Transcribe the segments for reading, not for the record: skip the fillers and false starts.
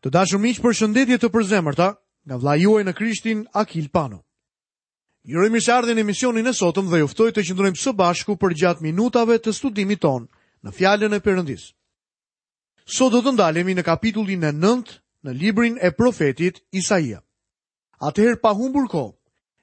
Të dashur miq, përshëndetje të përzemërta nga vëllai juaj në Krishtin Akil Pano. Ju uroj mirëseardhjen në emisionin e sotëm dhe ju ftoj të qëndrojmë së bashku përgjatë minutave të studimit tonë në Fjalën e Perëndisë. Sot do të ndalemi në kapitullin e 9 në librin e profetit Isaia. Atëherë pa humbur kohë,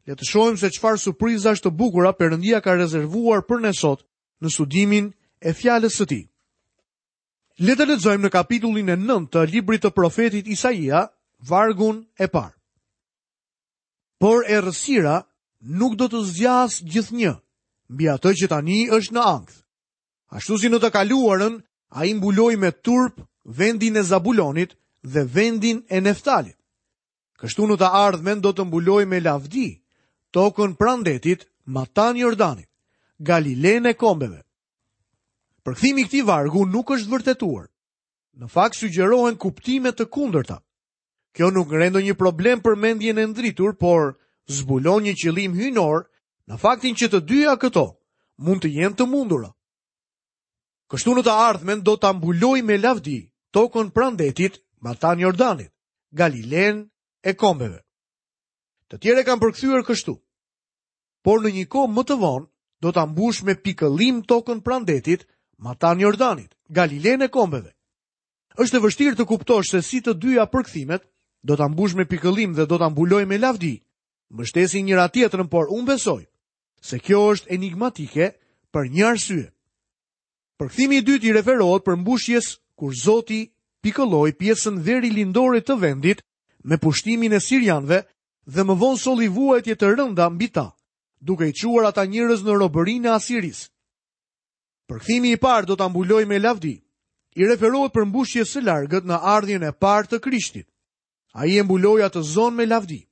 le të shohim se çfarë surprizash të bukura Perëndia ka rezervuar për ne sot në studimin e fjalës së tij. Le të lexojmë në kapitullin e 9 të librit të profetit Isaia, vargun e parë. Por errësira nuk do të zgjasë gjithnjë mbi atë që tani është në ankth. Ashtu si në të kaluarën, ai mbuloi me turp vendin e Zabulonit dhe vendin e Neftalit. Kështu në të ardhmen do të mbulojë me lavdi tokën pranë detit, matanë Jordanit, Galilenë e kombeve. Përkthimi i këtij vargu nuk është vërtetuar. Në fakt sugjerohen kuptime të kundërta. Kjo nuk ngre ndonjë problem për mendjen e ndritur, por zbulon një qëllim hyjnor në faktin që të dyja këto mund të jenë të mundura. Kështu në të ardhmen do ta mbulojë me lavdi tokën pranë detit, matanë Jordanit, Galilenë e kombeve. Të tjerë e kanë përkthyer kështu. Por në një kohë më të vonë do ta mbushë me pikëllim tokën pranë detit, matanë Jordanit, Galilenë e kombeve. Është e vështirë të kuptosh se si të dyja përkthimet do ta mbushë me pikëllim dhe do ta mbulojë me lavdi, mbështesin njëra-tjetrën, por unë besoj se kjo është enigmatike për një arsye. Përkthimi i dytë i referohet përmbushjes kur Zoti pikëlloi pjesën verilindore të vendit me pushtimin e sirianëve dhe më vonë solli vuajtje të rënda mbi ta, duke i çuar ata njerëz në robërinë e Asirisë. Përkthimi i parë do ta mbulojë me lavdi. I referohet përmbushjes së largët në ardhjen e parë të Krishtit. Ai e mbuloi atë zonë me lavdi.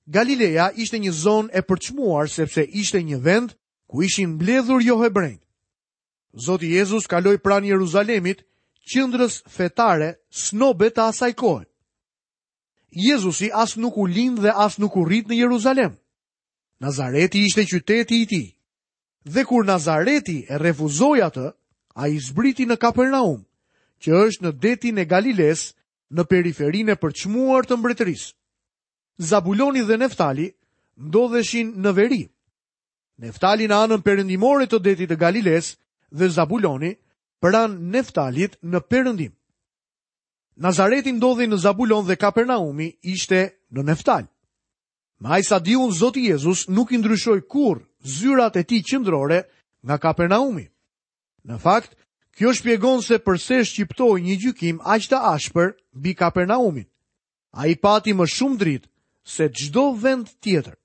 Galileja ishte një zonë e përçmuar sepse ishte një vend ku ishin mbledhur johebrenjtë. Zoti Jezus kaloi pranë Jeruzalemit, qendrës fetare snobe të asaj kohe. Jezusi as nuk u lind dhe as nuk u rrit në Jeruzalem. Nazareti ishte qyteti i tij. Dhe kur Nazareti e refuzoi atë, ai zbriti në Kapernaum, që është në detin e Galilesë, në periferinë e përçmuar të mbretërisë. Zabuloni dhe Neftali ndodheshin në veri. Neftali në anën perëndimore të detit të Galilesë dhe Zabuloni pranë Neftalit në perëndim. Nazareti ndodhej në Zabulon dhe Kapernaumi ishte në Neftal. Me aq sa di unë Zoti Jezus nuk i ndryshoi kurrë zyrat e tij qendrore nga Kapernaumi. Në fakt, kjo shpjegon se përse shqiptoi një gjykim aq të ashpër mbi Kapernaumin. Ai pati më shumë dritë se çdo vend tjetër.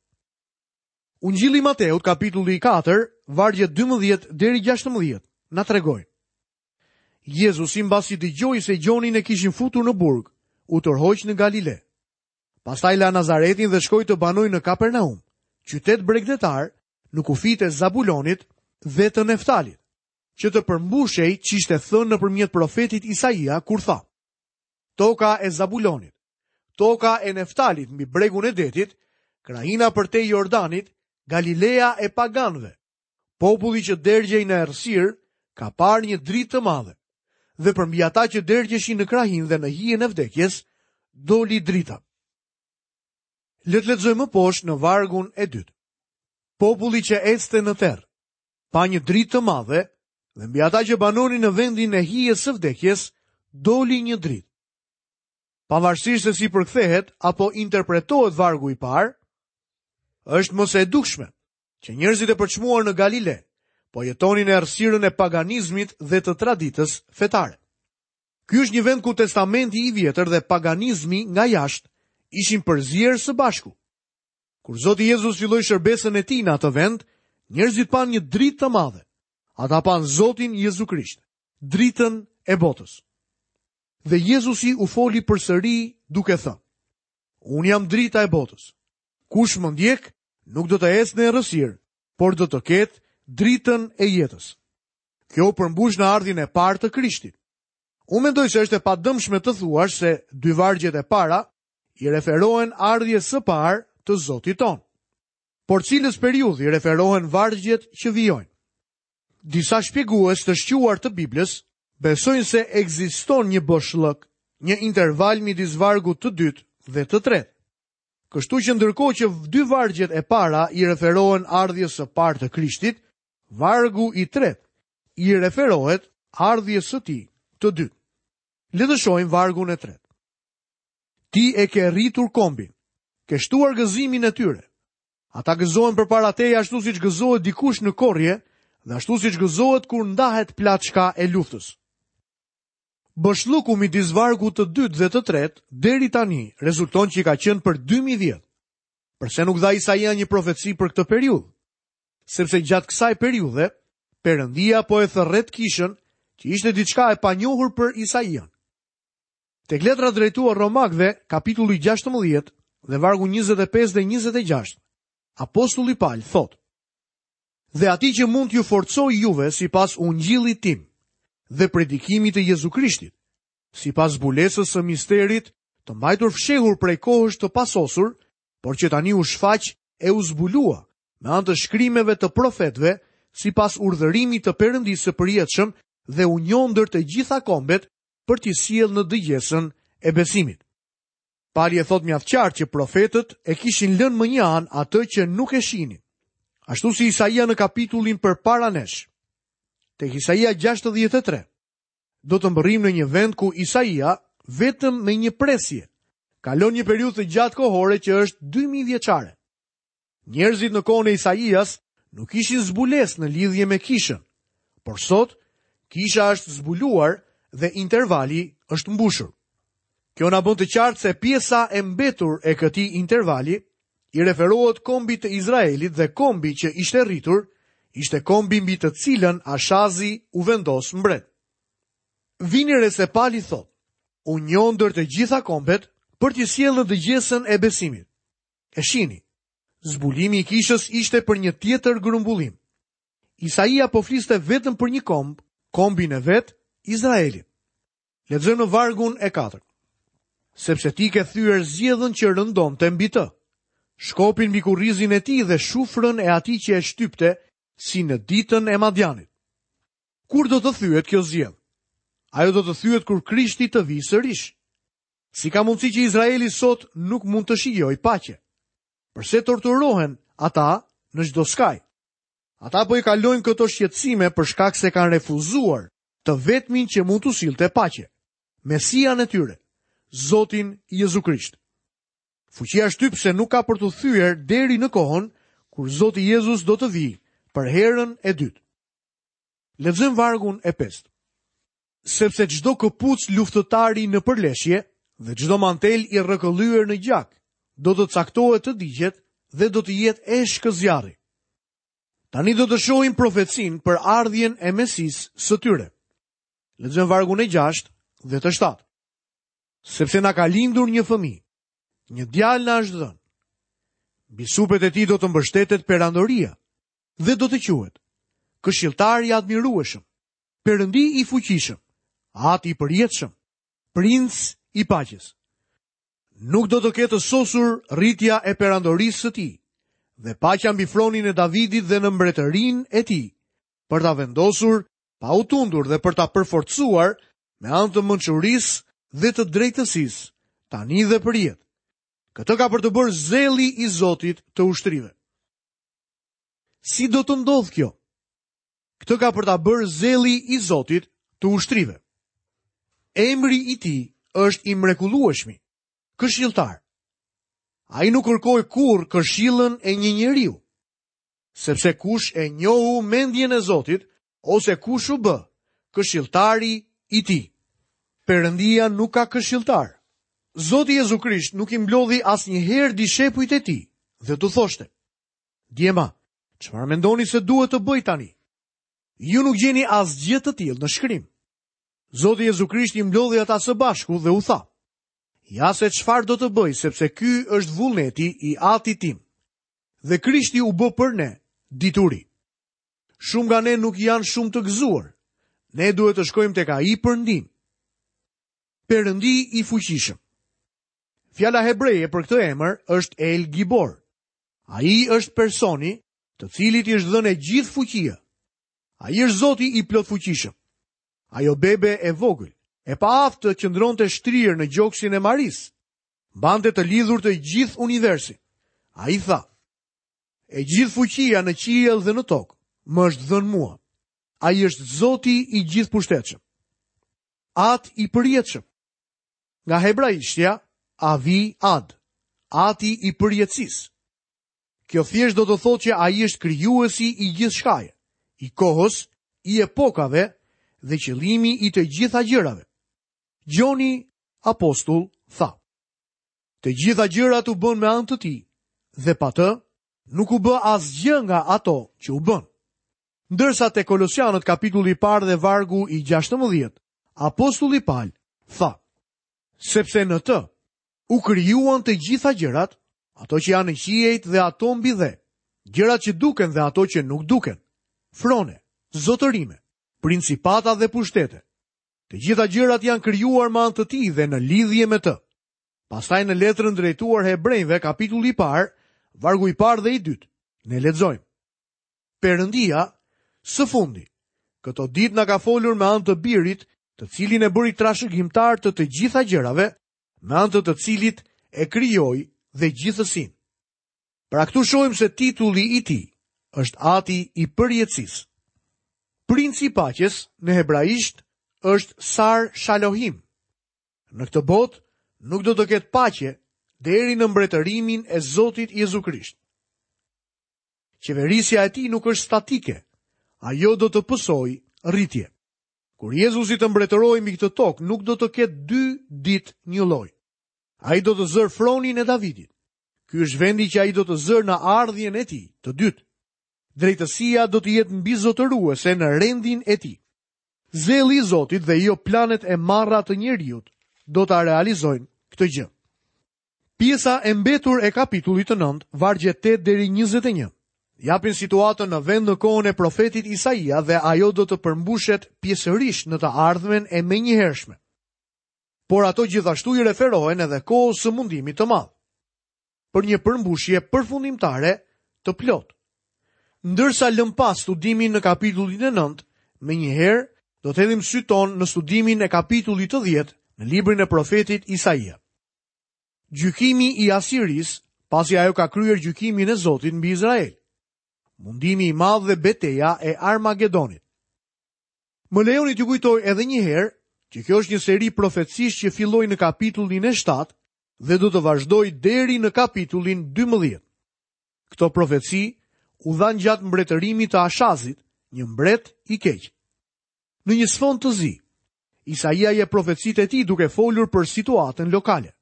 Ungjilli i Mateut, kapitulli 4, vargjet 12 deri 16, na tregojnë. Jezusi mbasi dëgjoi se Gjonin e kishin futur në burg, u tërhoq në Galile. Pastaj la Nazaretin dhe shkoi të banojë në Kapernaum, qytet bregdetar në kufijtë e Zabulonit dhe të Neftalit, që të përmbushej ç'ishte thënë nëpërmjet profetit Isaia kur tha: Toka e Zabulonit, toka e Neftalit mbi bregun e detit, krahina përtej Jordanit, Galilea e paganëve. Populli që dergjej në errësirë ka parë një dritë të madhe. Dhe përmbi ata që dergjeshin në krahinë dhe në hijen e vdekjes, doli drita. Le të lexojmë më poshtë në vargun e dytë. Populli që ecte në terr, pa një dritë të madhe dhe mbi ata që banonin në vendin e hijes së vdekjes, doli një dritë. Pavarësisht se si përkthehet apo interpretohet vargu i parë, është më se e dukshme që njerëzit e përçmuar në Galile po jetonin në errësirën e paganizmit dhe të traditës fetare. Ky është një vend ku testamenti i vjetër dhe paganizmi nga jashtë ishin përzier së bashku. Kur Zoti Jezus filloi shërbesën e tij në atë vend, njerëzit panë një dritë të madhe. Ata panë Zotin Jezu Krisht, dritën e botës. Dhe Jezusi u foli përsëri duke thënë: Unë jam drita e botës. Kush më ndjek, nuk do të ecë në errësirë, por do të ketë dritën e jetës. Kjo u përmbush në ardhjen e parë të Krishtit. Unë mendoj se është e padëmshme të thuash se dy vargjet e para i referohen ardhjes së parë të Zotit tonë. Por cilës periudhë i referohen vargjet që vijojnë? Disa shpjegues të shquar të Biblës besojnë se ekziston një boshllëk. Një interval midis vargut të dytë dhe të tretë. Kështu që ndërkohë që dy vargjet e para i referohen ardhjes së parë të Krishtit, vargu i tretë i referohet ardhjes së tij të dytë. Le të shohim vargun e tretë. Ti e ke rritur kombin, ke shtuar gëzimin e tyre. Ata gëzohen përpara teje ashtu siç gëzohet dikush në korrje dhe ashtu siç gëzohet kur ndahet plaçka e luftës. Boshllëku midis vargut të dytë dhe të tretë deri tani rezulton që ka qenë për 2000 vjet. Përse nuk dha Isaia një profeci për këtë periudhë? Sepse gjatë kësaj periudhe, Perëndia po e thërret kishën, që ishte diçka e panjohur për Isaian. Tek letra drejtuar Romakëve, kapitulli 16 dhe vargu 25 dhe 26, apostulli Pal thotë: Dhe atij që mund t'ju forcojë juve sipas ungjillit tim dhe predikimit të Jezu Krishtit, sipas zbulesës së misterit të mbajtur fshehur prej kohësh të pasosur, por që tani u shfaq e u zbulua me anë të shkrimeve të profetëve, sipas urdhërimit të Perëndisë së përjetshëm dhe u njoh ndër të gjitha kombet për t'i sjellë në dëgjesën e besimit. Pali e thotë mjaft qartë që profetët e kishin lënë mënjanë atë që nuk e shihnin. Ashtu si Isaia në kapitullin përpara nesh. Tek Isaia 63 do të mbërrijmë në një vend ku Isaia vetëm me një presje kalon një periudhë të gjatë kohore që është 2000 vjeçare. Njerëzit në kohën e Isaias nuk kishin zbulesë në lidhje me kishën, por sot kisha është zbuluar dhe intervali është mbushur. Kjo na bën të qartë se pjesa e mbetur e këtij intervali i referohet kombit të Izraelit dhe kombi që ishte rritur ishte kombi mbi të cilën Ashazi u vendos mbret. Vini re se Pali thotë, u njoh ndër të gjitha kombet për t'i sjellë në dëgjesën e besimit. E shihni, zbulimi i kishës ishte për një tjetër grumbullim. Isaia po fliste vetëm për një komb, kombin e vet, Izraelin. Lexojmë në vargun e 4. Sepse ti ke thyer zgjedhën që rëndonte mbi të, shkopin mbi kurrizin e tij dhe shufrën e atij që e shtypte si në ditën e Madianit. Kur do të thyhet kjo zgjedhë? Ajo do të thyhet kur Krishti të vijë sërish. Si ka mundësi që Izraeli sot nuk mund të shijojë paqe? Përse torturohen ata në çdo skaj? Ata po i kalojnë këto shqetësime për shkak se kanë refuzuar të vetmin që mund t'u sillte paqe, Mesian e tyre, Zotin Jezu Krisht. Fuqia shtypëse nuk ka për t'u thyer deri në kohën kur Zoti Jezus do të vijë për herën e dytë. Lexojmë vargun e pestë. Sepse çdo këpucë luftëtari në përleshje dhe çdo mantel i rrëkëllyer në gjak do të caktohet të digjet dhe do të jetë eshkë zjarri. Tani do të shohim profecinë për ardhjen e Mesisë së tyre. Lexojmë vargun e 6 dhe të 7. Sepse na ka lindur një fëmijë, një djalë na është dhënë. Mbi supet e tij do të mbështetet perandoria dhe do të quhet Këshilltar i admirueshëm, Perëndi i fuqishëm, Ati i përjetshëm, Princ i paqes. Nuk do të ketë të sosur rritja e perandorisë së tij dhe paqja mbi fronin e Davidit dhe në mbretërinë e tij, për ta vendosur pa u tundur dhe për ta përforcuar me anë të mençurisë dhe të drejtësisë, tani dhe përjetë. Këtë ka për të bërë zelli i Zotit të ushtrive. Si do të ndodhë kjo? Këtë ka për ta bërë zelli i Zotit të ushtrive. Emri i tij është i mrekullueshmi, këshilltar. Ai nuk kërkoi kurrë këshillën e një njeriu, sepse kush e njohu mendjen e Zotit ose kush u bë këshilltari i tij. Perëndia nuk ka këshilltar. Zoti Jezu Krisht nuk i mblodhi asnjëherë dishepujt e tij dhe t'u thoshte: Djema, çfarë mendoni se duhet të bëj tani? Ju nuk gjeni asgjë të tillë në shkrim. Zoti Jezu Krisht i mblodhi ata së bashku dhe u tha: Ja se çfarë do të bëj, sepse ky është vullneti i Atit tim. Dhe Krishti u bë për ne dituri. Shumë nga ne nuk janë shumë të gëzuar. Ne duhet të shkojmë tek ai për ndihmë. Perëndi i fuqishëm. Fjala hebreje për këtë emër është El Gibor. Ai është personi të cilit i është dhënë e gjithë fuqia. Ai është Zoti i plotfuqishëm. Ajo bebe e vogël, e paaftë të qëndronte shtrirë në gjoksin e Marisë, mbante të lidhur të gjithë universin. Ai tha, e gjithë fuqia në qiell dhe në tokë, më është dhënë mua. Ai është Zoti i gjithëpushtetshëm. At i përjetshëm. Nga hebraishtja, Avi Ad, Ati i përjetësisë. Kjo thjesht do të thotë që ai është krijuesi i gjithçkaje, i kohës, i epokave dhe qëllimi i të gjitha gjërave. Gjoni apostull tha: Të gjitha gjërat u bënë me anë të tij dhe pa të nuk u bë asgjë nga ato që u bënë. Ndërsa te Kolosianët kapitulli i parë dhe vargu i 16, apostulli Pal tha: Sepse në të U krijuan të gjitha gjërat, ato që janë në qiejt dhe ato mbi dhe, gjërat që duken dhe ato që nuk duken, frone, zotërime, principata dhe pushtete. Të gjitha gjërat janë krijuar me anë të tij dhe në lidhje me të. Pastaj në letrën drejtuar hebrejve, kapitulli i parë, vargu i parë dhe i dytë, ne lexojmë. Perëndia, së fundi, këto ditë na ka folur me anë të birit, të cilin e bëri trashëgimtar të të gjitha gjërave, me anë të të cilit e krijoi dhe gjithësinë. Pra këtu shohim se titulli i tij është Ati i përjetësisë. Princi i paqes në hebraisht është Sar Shalohim. Në këtë botë nuk do të ketë paqe deri në mbretërimin e Zotit Jezu Krisht. Qeverisja e tij nuk është statike, ajo do të pësojë rritje. Kur Jezusi të mbretërojë mbi këtë tokë, nuk do të ketë dy ditë njëlloj. Ai do të zërë fronin e Davidit. Ky është vendi që ai do të zërë në ardhjen e tij të dytë. Drejtësia do të jetë mbizotëruese në rendin e tij. Zelli i Zotit dhe jo planet e marra të njeriut do ta realizojnë këtë gjë. Pjesa e mbetur e kapitullit të 9, vargjet 8 deri 21, japin situatën në vend në kohën e profetit Isaia dhe ajo do të përmbushet pjesërisht në të ardhmen e menjëhershme. Por ato gjithashtu i referohen edhe kohës së mundimit të madh, për një përmbushje përfundimtare të plotë. Ndërsa lëmë pas studimin në kapitullin e 9, menjëherë do të hedhim sytë tonë në studimin e kapitullit të 10 në librin e profetit Isaia. Gjykimi i Asirisë, pasi ajo ka kryer gjykimin e Zotit mbi Izrael. Mundimi i madh dhe beteja e Armagedonit. Më lejoni t'ju kujtoj edhe një herë që kjo është një seri profecish që filloi në kapitullin e 7 dhe do të vazhdojë deri në kapitullin 12. Këto profeci u dhanë gjatë mbretërimit të Ashazit, një mbret i keq. Në një sfond të zi, Isaia jep profecitë e tij duke folur për situatën lokale.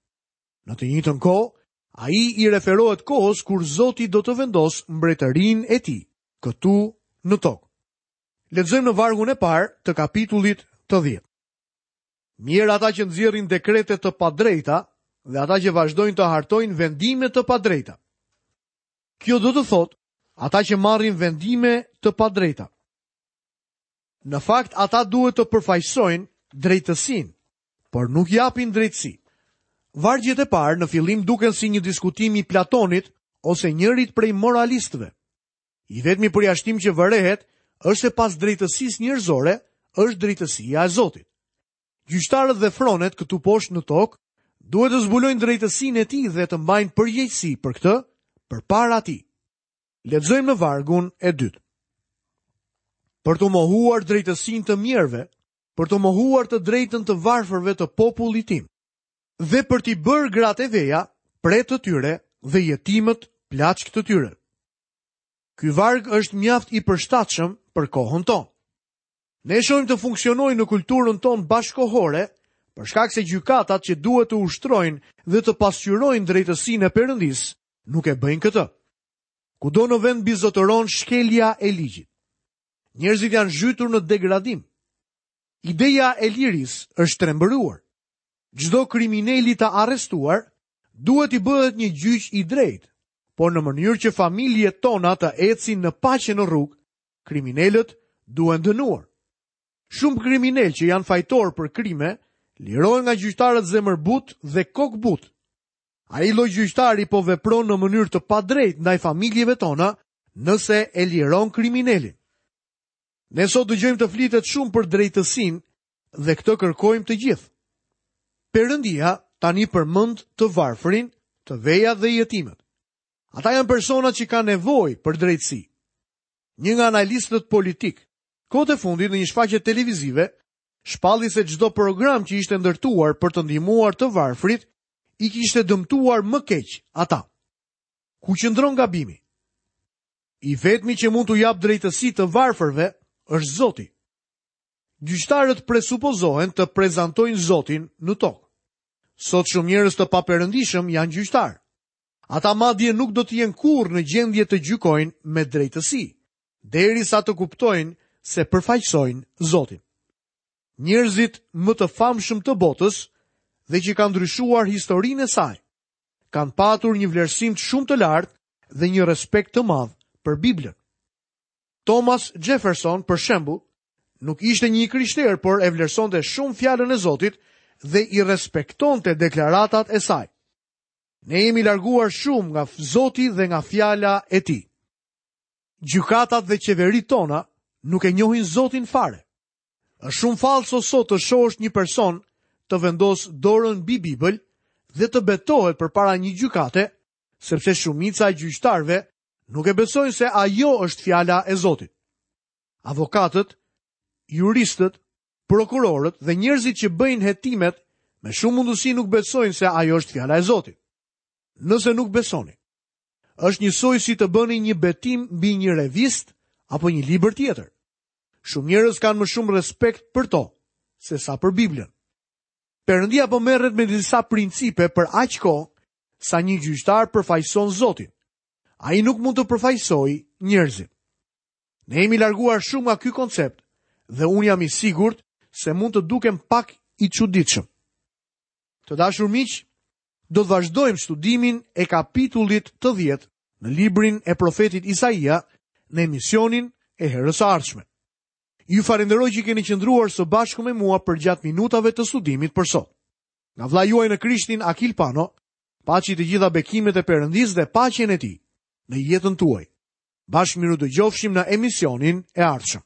Në të njëjtën kohë, ai i referohet kohës kur Zoti do të vendosë mbretërinë e tij këtu në tokë. Lexojmë në vargun e parë të kapitullit të 10. Mjerë ata që nxjerrin dekrete të padrejta dhe ata që vazhdojnë të hartojnë vendime të padrejta. Kjo do të thotë ata që marrin vendime të padrejta. Në fakt, ata duhet të përfaqësojnë drejtësinë, por nuk japin drejtësi. Vargjet e parë në fillim duken si një diskutim i Platonit ose njërit prej moralistëve. I vetmi përjashtim që vërehet është se pas drejtësisë njerëzore është drejtësia e Zotit. Gjyqtarët dhe fronet këtu poshtë në tokë duhet të zbulojnë drejtësinë e tij dhe të mbajnë përgjegjësi për këtë përpara tij. Lexojmë në vargun e dytë. Për t'u mohuar drejtësinë të mjerëve, për t'u mohuar të drejtën të varfërve të popullit tim, dhe për t'i bërë gratë e veja pre të tyre dhe jetimët plaçkë të tyre. Ky varg është mjaft i përshtatshëm për kohën tonë. Ne shohim të funksionojë në kulturën tonë bashkëkohore, për shkak se gjykatat që duhet të ushtrojnë dhe të pasqyrojnë drejtësinë e Perëndisë, nuk e bëjnë këtë. Kudo në vend mbizotëron shkelja e ligjit. Njerëzit janë zhytur në degradim. Ideja e lirisë është trembëruar. Çdo krimineli të arrestuar duhet t'i bëhet një gjyq i drejtë, por në mënyrë që familjet tona të ecin në paqe në rrugë, kriminelët duhen dënuar. Shumë kriminelë që janë fajtorë për krime lirohen nga gjyqtarët zemërbutë dhe kokëbutë. Ai lloj gjyqtari po vepron në mënyrë të padrejtë ndaj familjeve tona nëse e liron kriminelin. Ne sot dëgjojmë të flitet shumë për drejtësinë, Dhe këtë kërkojmë të gjithë. Perëndia tani përmend të varfrin, të vejat dhe jetimët. Ata janë personat që kanë nevojë për drejtësi. Një nga analistët politikë, kohët e fundit në një shfaqje televizive, shpalli se çdo program që ishte ndërtuar për të ndihmuar të varfrit, i kishte dëmtuar më keq ata. Ku qëndron gabimi? I vetmi që mund t'u japë drejtësi të varfërve është Zoti. Gjyqtarët presupozohen të prezantojnë Zotin në tokë. Sot shumë njerëz të paperëndishëm janë gjyqtarë. Ata madje nuk do të jenë kurrë në gjendje të gjykojnë me drejtësi, derisa të kuptojnë se përfaqësojnë Zotin. Njerëzit më të famshëm të botës dhe që kanë ndryshuar historinë e saj, kanë patur një vlerësim shumë të lartë dhe një respekt të madh për Biblën. Thomas Jefferson, për shembull, nuk ishte një i krishterë, por e vlerësonte shumë fjalën e Zotit dhe i respektonte deklaratat e saj. Ne jemi larguar shumë nga Zoti dhe nga fjala e tij. Gjykatat dhe qeveritë tona nuk e njohin Zotin fare. Është shumë fallso sot të shohësh një person të vendosë dorën mbi Bibël dhe të betohet përpara një gjykate, sepse shumica e gjyqtarëve nuk e besojnë se ajo është fjala e Zotit. Avokatët, juristët, prokurorët dhe njerëzit që bëjnë hetimet me shumë mundësi nuk besojnë se ajo është fjala e Zotit. Nëse nuk besoni, është njësoj si të bëni një betim mbi një revistë apo një libër tjetër. Shumë njerëz kanë më shumë respekt për to sesa për Biblën. Perëndia po merret me disa principe për aq kohë sa një gjyqtar përfaqëson Zotin. Ai nuk mund të përfaqësojë njerëzit. Ne jemi larguar shumë nga ky koncept dhe unë jam i sigurt se mund të dukem pak i çuditshëm. Të dashur miq, do të vazhdojmë studimin e kapitullit të 10 në librin e profetit Isaia në emisionin e herës së ardhshme. Ju falenderoj që keni qëndruar së bashku me mua përgjatë minutave të studimit për sot. Nga vëllai juaj në Krishtin Akil Pano, paçi të gjitha bekimet e Perëndisë dhe paqen e tij në jetën tuaj. Bashkë mirudëgjofshim në emisionin e ardhshëm.